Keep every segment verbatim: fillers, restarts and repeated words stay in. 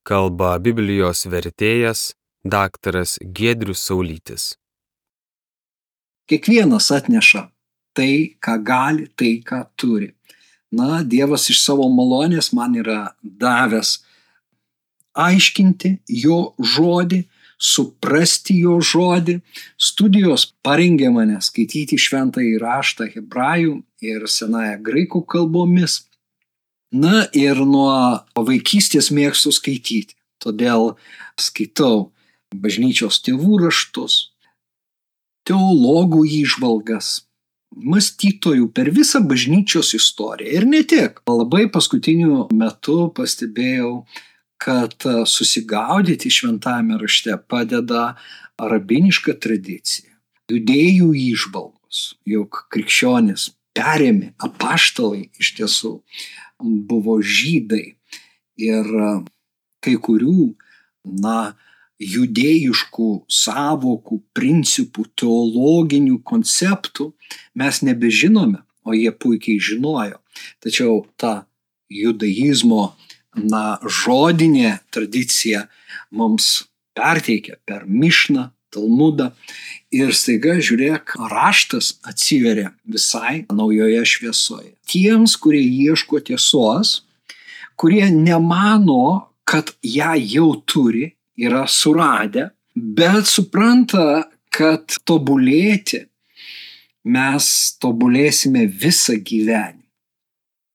Kalba Biblijos vertėjas daktaras Giedrius Saulytis. Kiekvienas atneša tai, ką gali, tai, ką turi. Na, Dievas iš savo malonės man yra davęs aiškinti jo žodį, suprasti jo žodį. Studijos parengė mane skaityti šventąjį raštą hebrajų ir senąją graikų kalbomis. Na ir nuo vaikystės mėgstu skaityti. Todėl skaitau bažnyčios tėvų raštus, teologų įžvalgas, mąstytojų per visą bažnyčios istoriją. Ir ne tik. Labai paskutiniu metu pastebėjau, kad susigaudyti šventajame rašte padeda rabiniška tradicija, judėjų įžvalgos, juk krikščionis perėmė, apaštalai iš tiesų buvo žydai ir kai kurių, na, judėjiškų savokų, principų, teologinių konceptų mes nebežinome, o jie puikiai žinojo. Tačiau ta judaizmo, na, žodinė tradicija mums perteikia per Mišną, Talmudą ir staiga, žiūrėk, raštas atsiveria visai naujoje šviesoje. Tiems, kurie ieško tiesos, kurie nemano, kad ją jau turi, yra suradę, bet supranta, kad tobulėti mes tobulėsime visą gyvenimą.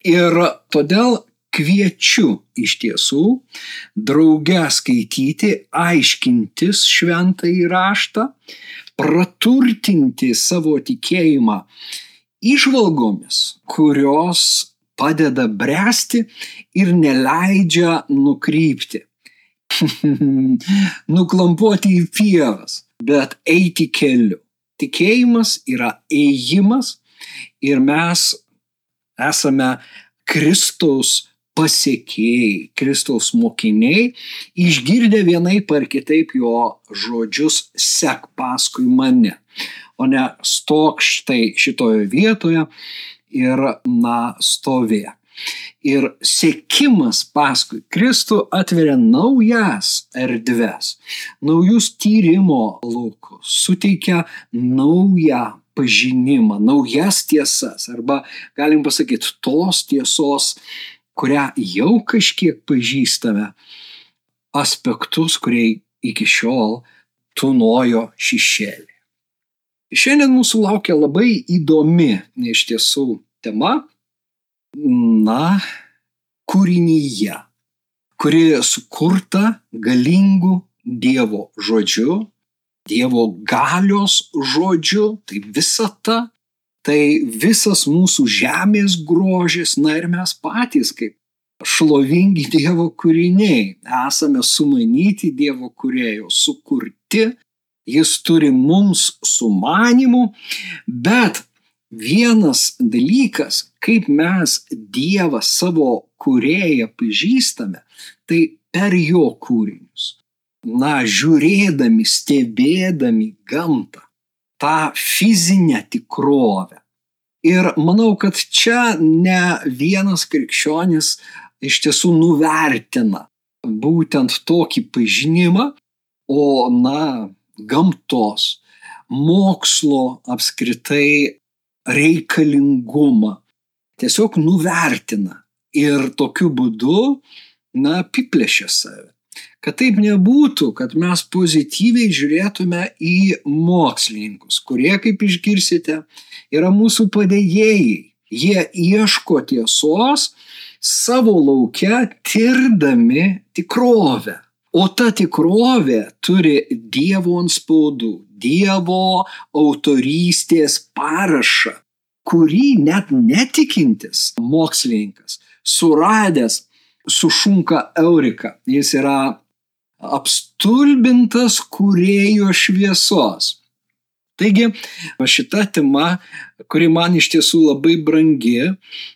Ir todėl kviečiu iš tiesų drauge skaityti, aiškintis šventąjį raštą, praturtinti savo tikėjimą įžvalgomis, kurios padeda bręsti ir neleidžia nukrypti. Nuklampuoti į pievas, bet eiti keliu. Tikėjimas yra ėjimas ir mes esame Kristaus pasekėjai, Kristaus mokiniai, išgirdę vienaip ar kitaip jo žodžius sek paskui mane, o ne stok štai šitoje vietoje ir, na, stovėk. Ir sekimas paskui Kristų atveria naujas erdves, naujus tyrimo laukus, suteikia naują pažinimą, naujas tiesas, arba galim pasakyti tos tiesos, kurią jau kažkiek pažįstame, aspektus, kurie iki šiol tūnojo šešėlį. Šiandien mūsų laukia labai įdomi iš tiesų tema, na, kūrinyje, kuri sukurta galingų Dievo žodžiu, Dievo galios žodžiu, tai visata, tai visas mūsų žemės grožis, na ir mes patys kaip šlovingi Dievo kūriniai, esame sumanyti Dievo kūrėjo, sukurti, jis turi mums sumanimų, bet vienas dalykas, kaip mes Dievą savo kūrėją pažįstame, tai per jo kūrinius. Na, žiūrėdami, stebėdami gamtą, tą fizinę tikrovę. Ir manau, kad čia ne vienas krikščionis iš tiesų nuvertina būtent tokį pažinimą, o, na, gamtos, mokslo apskritai reikalingumą tiesiog nuvertina ir tokiu būdu, na, apiplėšia save. Kad taip nebūtų, kad mes pozityviai žiūrėtume į mokslininkus, kurie, kaip išgirsite, yra mūsų padėjėjai. Jie ieško tiesos savo lauke, tirdami tikrovę. O ta tikrovė turi Dievo antspaudų, Dievo autorystės parašą, kurį net netikintis mokslininkas, suradęs, sušunka eurika. Jis yra apstulbintas kūrėjo šviesos. Taigi, šita tema, kuri man iš tiesų labai brangi,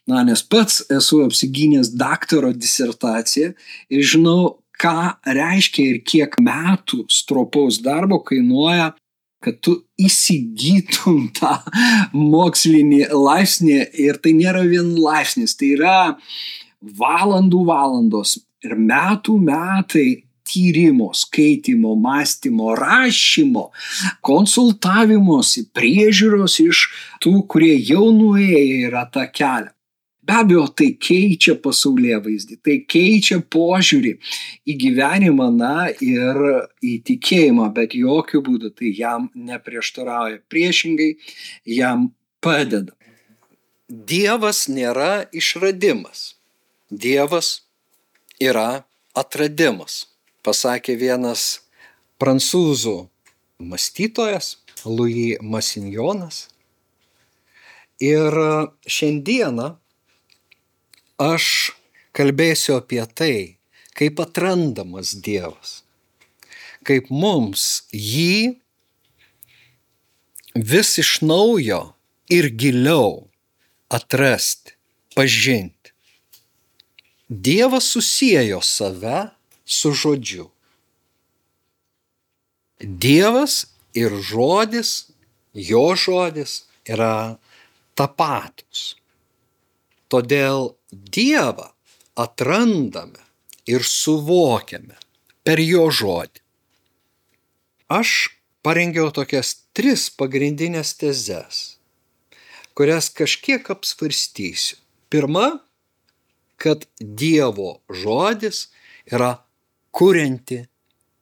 na, nes pats esu apsigynęs daktaro disertaciją ir žinau, ką reiškia ir kiek metų stropaus darbo kainuoja, kad tu įsigytum tą mokslinį laipsnį, ir tai nėra vien laipsnis, tai yra valandų valandos ir metų metai tyrimo, skaitimo, mąstymo, rašymo, konsultavimosi, priežiūros iš tų, kurie jau nuėję yra tą kelią. Be abejo, tai keičia pasaulėvaizdį, tai keičia požiūrį į gyvenimą, na ir į tikėjimą, bet jokių būdų tai jam neprieštarauja, priešingai jam padeda. Dievas nėra išradimas, Dievas yra atradimas, pasakė vienas prancūzų mąstytojas Louis Massignonas. Ir šiandieną aš kalbėsiu apie tai, kaip atrandamas Dievas, kaip mums jį vis iš naujo ir giliau atrasti, pažinti. Dievas susiejo save su žodžiu. Dievas ir žodis, jo žodis yra tapatus. Todėl Dievą atrandame ir suvokiame per jo žodį. Aš parengiau tokias tris pagrindinės tezes, kurias kažkiek apsvarstysiu. Pirma, kad Dievo žodis yra kurianti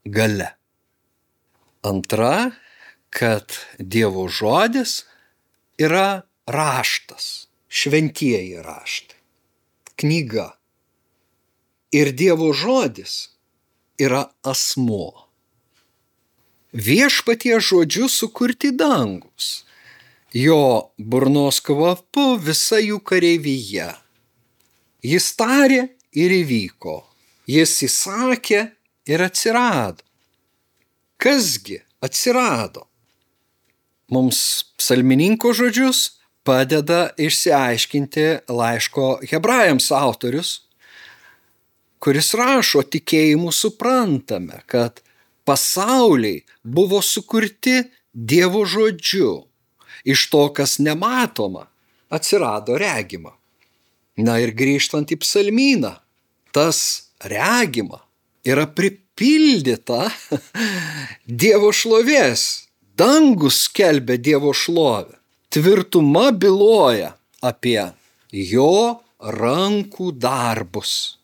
galia. Antra, kad Dievo žodis yra raštas, šventieji raštai, knyga. Ir Dievo žodis yra asmuo. Viešpaties žodžiu sukurti dangus, jo burnos kvapu visa jų kareivija. Jis tarė ir įvyko, jis įsakė ir atsirado. Kasgi atsirado? Mums psalmininko žodžius padeda išsiaiškinti laiško Hebrajams autorius, kuris rašo: tikėjimu suprantame, kad pasauliai buvo sukurti Dievo žodžiu. Iš to, kas nematoma, atsirado regima. Na ir grįžtant į psalmyną, tas regima yra pripildyta Dievo šlovės. Dangus skelbia Dievo šlovę. Tvirtuma byloja apie jo rankų darbus.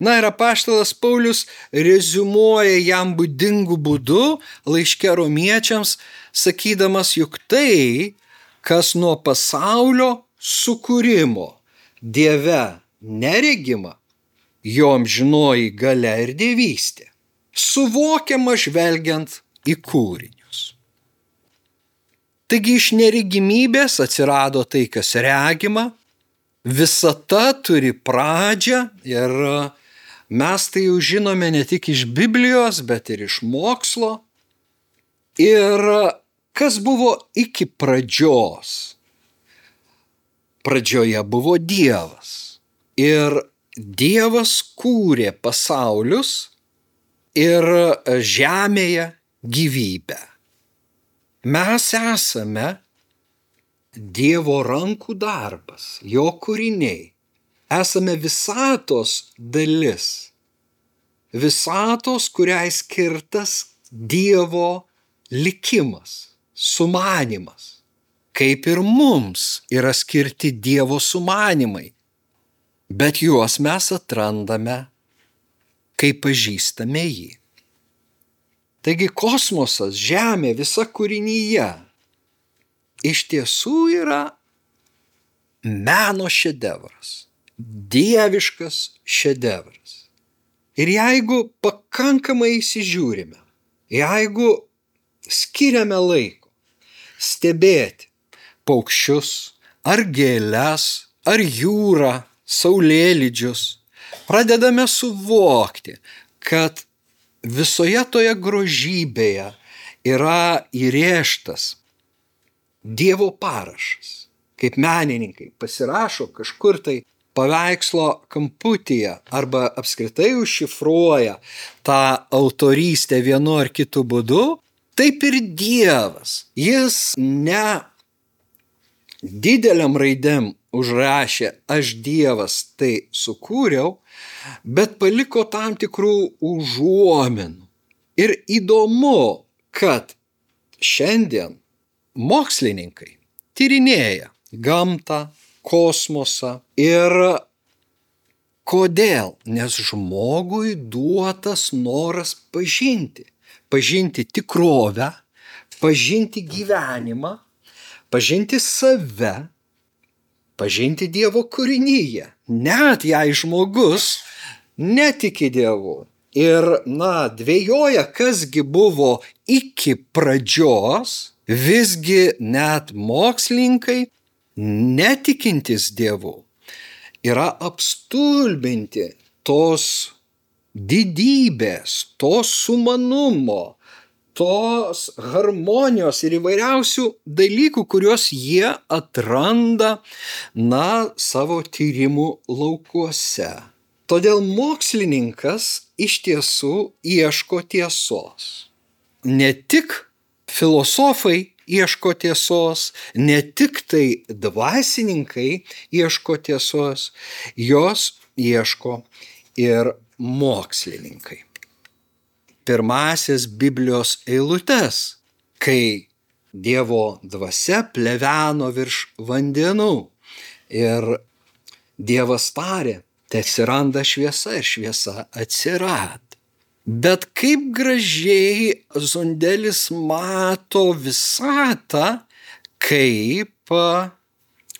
Na ir apaštalas Paulius reziumuoja jam būdingu būdu laiške romiečiams, sakydamas, juk tai, kas nuo pasaulio sukūrimo Dieve neregima, jo amžinoji galia ir dievystė, suvokiama žvelgiant į kūrinius. Taigi iš neregimybės atsirado tai, kas regima, visata turi pradžią ir mes tai jau žinome ne tik iš Biblijos, bet ir iš mokslo. Ir kas buvo iki pradžios? Pradžioje buvo Dievas. Ir Dievas kūrė pasaulius ir žemėje gyvybę. Mes esame Dievo rankų darbas, jo kūriniai. Esame visatos dalis. Visatos, kuriai skirtas Dievo likimas, sumanymas. Kaip ir mums yra skirti Dievo sumanymai. Bet juos mes atrandame, kai pažįstame jį. Taigi kosmosas, Žemė, visa kūrinyje iš tiesų yra meno šedevras, dieviškas šedevras. Ir jeigu pakankamai įsižiūrime, jeigu skiriame laiko stebėti paukščius, ar gėles, ar jūrą, saulėlydžius, pradedame suvokti, kad visoje toje grožybėje yra įrėžtas Dievo parašas. Kaip menininkai pasirašo kažkur tai paveikslo kamputyje arba apskritai užšifruoja tą autorystę vienu ar kitu būdu, taip ir Dievas. Jis ne dideliam raidėm užrašė aš Dievas tai sukūriau, bet paliko tam tikrų užuominų. Ir įdomu, kad šiandien mokslininkai tyrinėja gamtą, kosmosą ir kodėl? Nes žmogui duotas noras pažinti. Pažinti tikrovę, pažinti gyvenimą, pažinti save, pažinti Dievo kūrinyje. Net jei žmogus netiki Dievu ir, na, dvejoja, kasgi buvo iki pradžios, visgi net mokslininkai, netikintis Dievu, yra apstulbinti tos didybės, to sumanumo, tos harmonijos ir įvairiausių dalykų, kuriuos jie atranda, na, savo tyrimų laukuose. Todėl mokslininkas iš tiesų ieško tiesos. Ne tik filosofai ieško tiesos, ne tik tai dvasininkai ieško tiesos, jos ieško ir mokslininkai. Pirmasias Biblijos eilutes, kai Dievo dvasia pleveno virš vandenų ir Dievas tarė, tai atsiranda šviesa ir šviesa atsirado. Bet kaip gražiai Zondelis mato visatą kaip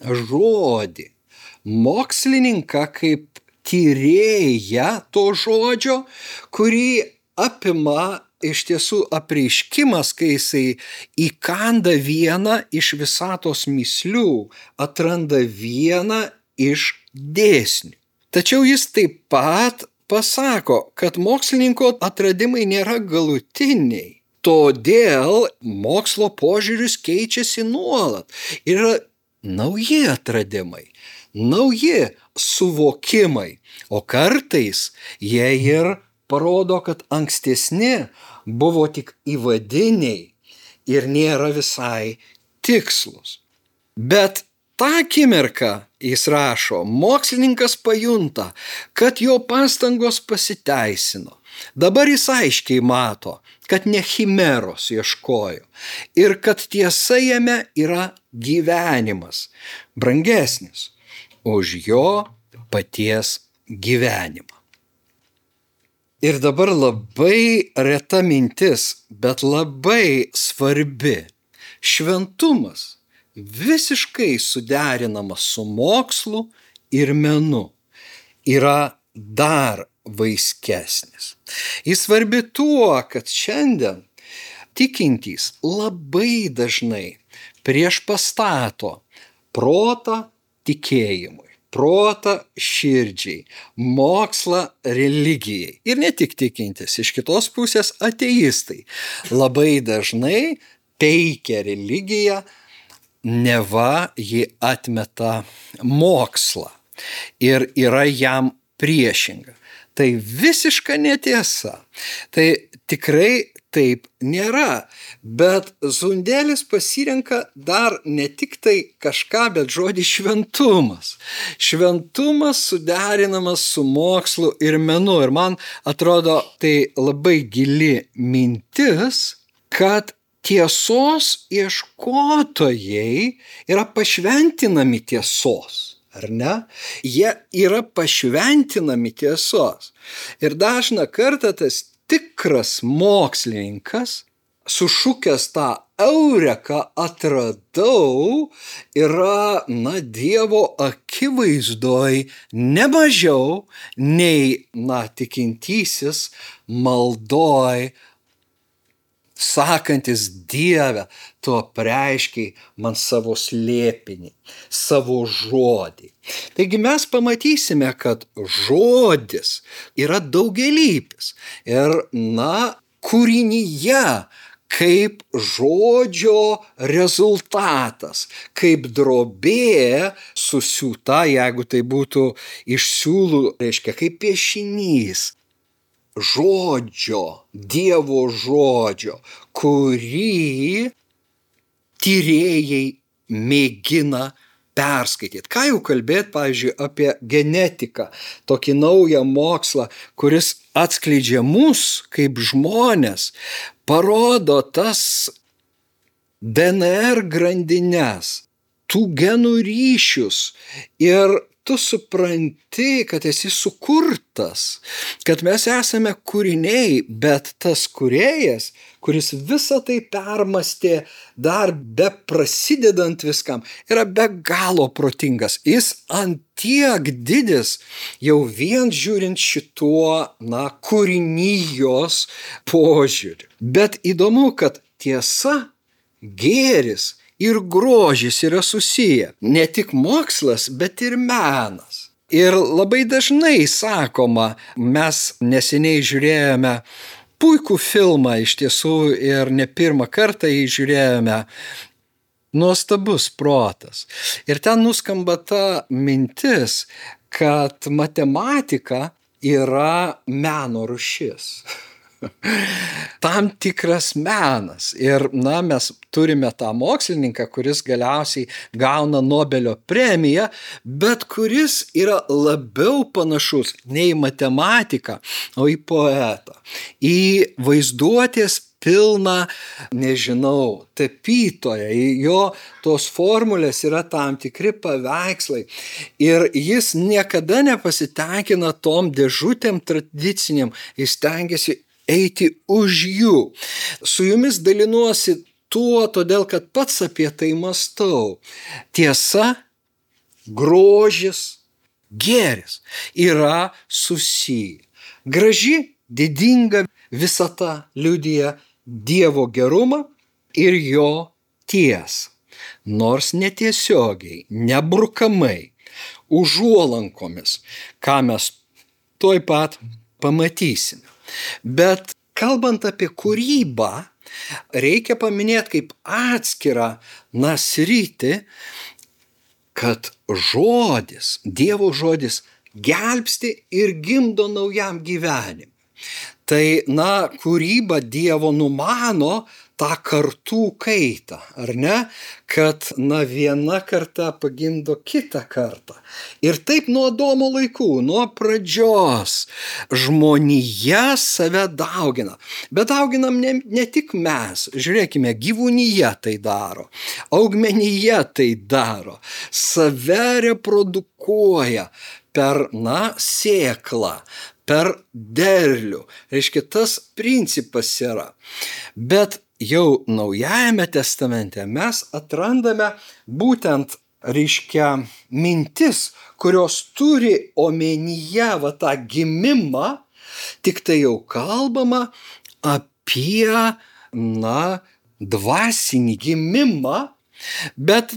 žodį. Mokslininką kaip tyrėją to žodžio, kurį apima iš tiesų apreiškimas, kai jisai įkanda vieną iš visatos mįslių, atranda vieną iš dėsnių. Tačiau jis taip pat pasako, kad mokslininko atradimai nėra galutiniai. Todėl mokslo požiūris keičiasi nuolat. Yra nauji atradimai, nauji suvokimai, o kartais jie ir parodo, kad ankstesni buvo tik įvadiniai ir nėra visai tikslus. Bet tą akimirką, jis rašo, mokslininkas pajunta, kad jo pastangos pasiteisino. Dabar jis aiškiai mato, kad ne chimeros ieškojo ir kad tiesa jame yra gyvenimas, brangesnis už jo paties gyvenimą. Ir dabar labai reta mintis, bet labai svarbi. Šventumas visiškai suderinamas su mokslu ir menu yra dar vaiskesnis. Jis svarbi tuo, kad šiandien tikintys labai dažnai priešpastato protą tikėjimui, protą širdžiai, mokslą religijai. Ir ne tik tikintys, iš kitos pusės ateistai labai dažnai teikia religiją, neva ji atmeta mokslą ir yra jam priešinga. Tai visiška netiesa. Tai tikrai taip nėra. Bet Zondelis pasirenka dar ne tik tai kažką, bet žodį šventumas. Šventumas suderinamas su mokslu ir menu. Ir man atrodo, tai labai gili mintis, kad tiesos ieškotojai yra pašventinami tiesos, ar ne? Jie yra pašventinami tiesos. Ir dažną kartą tas tikras mokslininkas, sušukęs tą eureką atradau, yra, na, Dievo akivaizdoj ne mažiau nei, na, tikintysis maldoj, sakantis Dieve, tu apreiškiai man savo slėpinį, savo žodį. Taigi mes pamatysime, kad žodis yra daugialypis ir, na, kūrinyje kaip žodžio rezultatas, kaip drobė susiūta, jeigu tai būtų iš siūlų, reiškia, kaip piešinys. Žodžio, Dievo žodžio, kurį tyrėjai mėgina perskaityti. Ką jau kalbėti, pavyzdžiui, apie genetiką, tokį naują mokslą, kuris atskleidžia mus kaip žmonės, parodo tas D N R grandines, tų genų ryšius ir tu supranti, kad esi sukurtas, kad mes esame kūriniai, bet tas kūrėjas, kuris visą tai permastė dar be prasidedant viskam, yra be galo protingas. Jis ant tiek didis, jau vien žiūrint šituo, na, kūrinijos požiūrį. Bet įdomu, kad tiesa, gėris ir grožis yra susiję. Ne tik mokslas, bet ir menas. Ir labai dažnai sakoma, mes neseniai žiūrėjome puikų filmą iš tiesų ir ne pirmą kartą jį žiūrėjome, Nuostabus protas. Ir ten nuskamba ta mintis, kad matematika yra meno rūšis. Tam tikras menas. Ir, na, mes turime tą mokslininką, kuris galiausiai gauna Nobelio premiją, bet kuris yra labiau panašus ne į matematiką, o į poetą. Į vaizduotės pilną, nežinau, tapytoją. Jo tos formulės yra tam tikri paveikslai. Ir jis niekada nepasitenkina tom dėžutėm tradiciniam. Jis stengiasi eiti už jų. Su jumis dalinuosi tuo, todėl kad pats apie tai mąstau. Tiesa, grožis, gėris yra susiję. Graži, didinga visata liudija Dievo gerumą ir jo tiesą. Nors netiesiogiai, nebrukamai, užuolankomis, ką mes tuoj pat pamatysime. Bet kalbant apie kūrybą, reikia paminėti kaip atskirą na sritį, kad žodis, Dievo žodis gelbsti ir gimdo naujam gyvenimui. Tai, na, kūryba Dievo numano tą kartų kaitą, ar ne? Kad, na, viena karta pagimdo kitą kartą. Ir taip nuo Adomo laikų, nuo pradžios, žmonija save daugina. Bet dauginam ne, ne tik mes. Žiūrėkime, gyvūnyje tai daro, augmenyje tai daro, save reprodukuoja per, na, sėklą, per derlių. Reiškia, tas principas yra. Bet jau Naujajame testamente mes atrandame būtent, reiškia, mintis, kurios turi omenyje va tą gimimą, tik tai jau kalbama apie, na, dvasinį gimimą, bet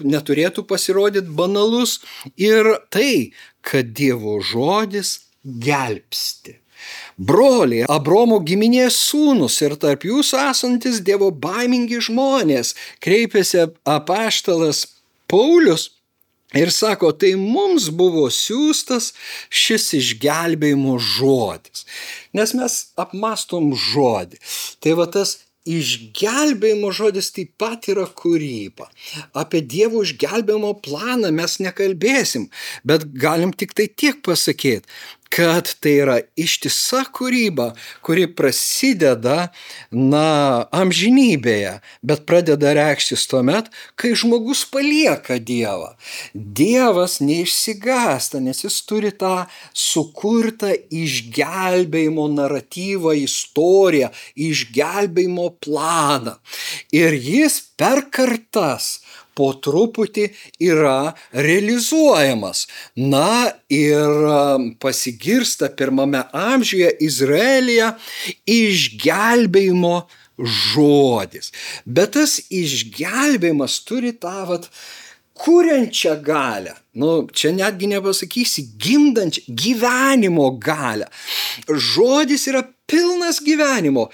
neturėtų pasirodyti banalus ir tai, kad Dievo žodis gelbsti. Broliai, Abromo giminės sūnus ir tarp jūsų esantis Dievo baimingi žmonės, kreipėsi apaštalas Paulius ir sako, tai mums buvo siųstas šis išgelbėjimo žodis. Nes mes apmastom žodį. Tai va tas išgelbėjimo žodis taip pat yra kūryba. Apie Dievo išgelbėjimo planą mes nekalbėsim, bet galim tik tai tiek pasakyti, kad tai yra ištisa kūryba, kuri prasideda, na, amžinybėje, bet pradeda reikštis tuomet, kai žmogus palieka Dievą. Dievas neišsigąsta, nes jis turi tą sukurtą išgelbėjimo naratyvą, istoriją, išgelbėjimo planą. Ir jis per kartas po truputį yra realizuojamas. Na ir pasigirsta pirmame amžiuje Izraelyje išgelbėjimo žodis. Bet tas išgelbėjimas turi tą vat kuriančią galią. Nu, čia netgi nepasakysi gimdančią gyvenimo galią. Žodis yra pilnas gyvenimo,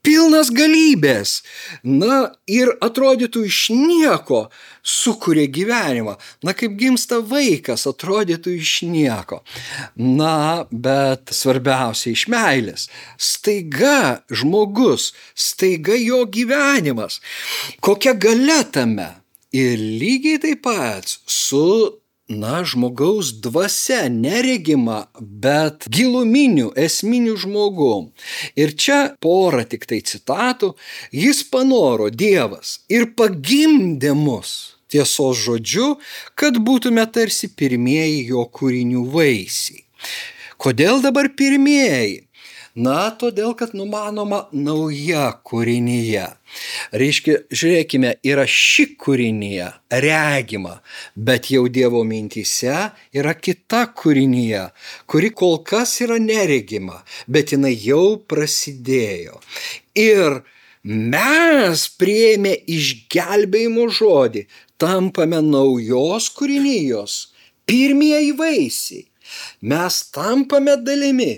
pilnas galybės. Na ir atrodytų iš nieko sukuria gyvenimą. Na kaip gimsta vaikas, atrodytų iš nieko. Na, bet svarbiausia iš meilės. Staiga žmogus, staiga jo gyvenimas. Kokia galia tame? Ir lygiai taip pat su, na, žmogaus dvasia, neregima, bet giluminiu, esminiu žmogum. Ir čia porą tik tai citatų. Jis panoro, Dievas, ir pagimdė mus tiesos žodžiu, kad būtume tarsi pirmieji jo kūrinių vaisiai. Kodėl dabar pirmieji? Na, todėl, kad numanoma nauja kūrinyje. Reiškia, žiūrėkime, yra ši kūrinyje, regima, bet jau Dievo mintyse yra kita kūrinyje, kuri kol kas yra neregima, bet jinai jau prasidėjo. Ir mes priėmę išgelbėjimo žodį, tampame naujos kūrinijos, pirmieji vaisiai. Mes tampame dalimi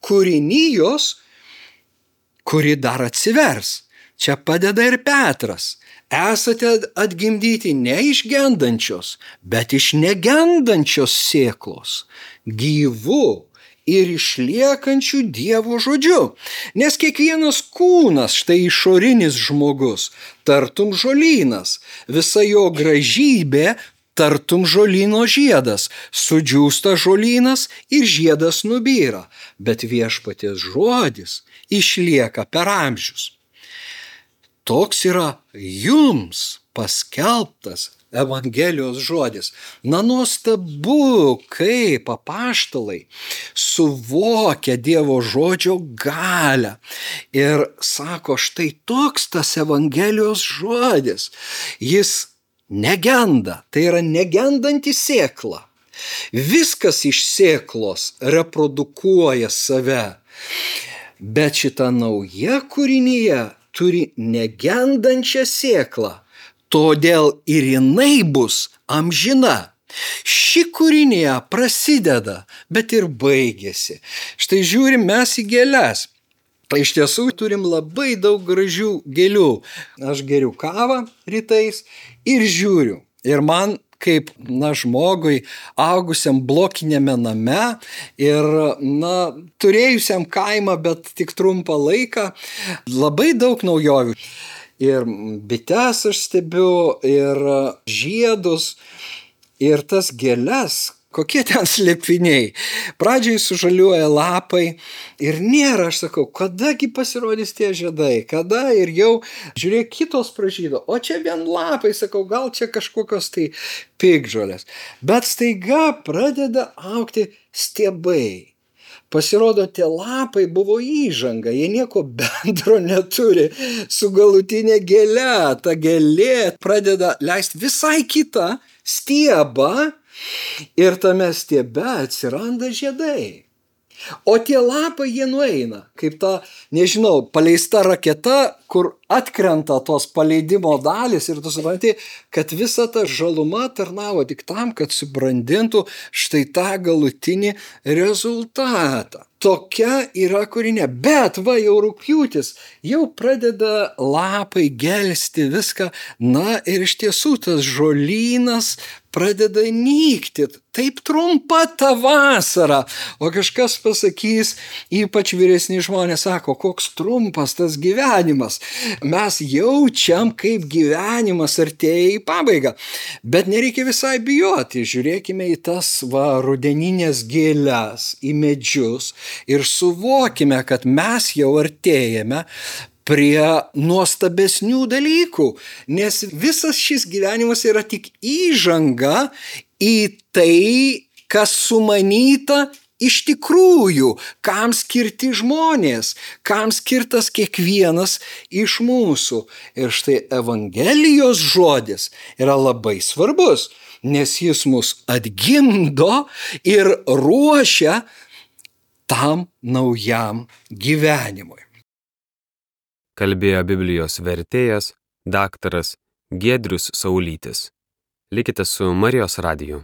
kūrinijos, kuri dar atsivers. Čia padeda ir Petras. Esate atgimdyti ne iš gendančios, bet iš negendančios sėklos, gyvų ir išliekančių Dievo žodžiu. Nes kiekvienas kūnas, štai išorinis žmogus, tartum žolynas, visa jo gražybė tartum žolyno žiedas, sudžiūsta žolynas ir žiedas nubyra, bet viešpaties žodis išlieka per amžius. Toks yra jums paskelbtas Evangelijos žodis. Na, nuostabu, kaip apaštalai suvokia Dievo žodžio galią. Ir sako, štai toks tas Evangelijos žodis. Jis negenda, tai yra negendanti sėkla. Viskas iš sėklos reprodukuoja save. Bet šita nauja kūrinyje turi negendančią sėklą. Todėl ir jinai bus amžina. Ši kūrinija prasideda, bet ir baigėsi. Štai žiūrim mes į gėles. Iš tiesų turim labai daug gražių gėlių. Aš geriu kavą rytais ir žiūriu. Ir man kaip, na, žmogui augusiam blokinėme name ir, na, turėjusiam kaimą, bet tik trumpą laiką, labai daug naujovių. Ir bites aš stebiu, ir žiedus, ir tas gėles. Kokie ten slėpiniai. Pradžiai sužaliuoja lapai ir nėra, aš sakau, kadagi pasirodys tie žiedai, kada ir jau, žiūrėk, kitos pražydo, o čia vien lapai, sakau, gal čia kažkokios tai piktžolės. Bet staiga pradeda augti stiebai. Pasirodo, tie lapai buvo įžanga, jie nieko bendro neturi su galutinė gėle. Ta gėlė pradeda leisti visai kitą stiebą, ir tame stiebe atsiranda žiedai. O tie lapai jie nueina, kaip ta, nežinau, paleista raketa, kur atkrenta tos paleidimo dalys ir tu supranti, kad visa ta žaluma tarnavo tik tam, kad subrandintų štai tą galutinį rezultatą. Tokia yra kūrinė. Bet va, jau rugpjūtis, jau pradeda lapai gelsti viską. Na ir iš tiesų tas žolynas pradeda nykti. Taip trumpa ta vasara. O kažkas pasakys, ypač vyresni žmonės sako, koks trumpas tas gyvenimas. Mes jaučiam, kaip gyvenimas artėja į pabaigą. Bet nereikia visai bijoti. Žiūrėkime į tas va, rudeninės gėles, į medžius ir suvokime, kad mes jau artėjame prie nuostabesnių dalykų, nes visas šis gyvenimas yra tik įžanga į tai, kas sumanyta iš tikrųjų, kam skirti žmonės, kam skirtas kiekvienas iš mūsų. Ir štai Evangelijos žodis yra labai svarbus, nes jis mus atgimdo ir ruošia tam naujam gyvenimui. Kalbėjo Biblijos vertėjas daktaras Giedrius Saulytis. Likite su Marijos radiju.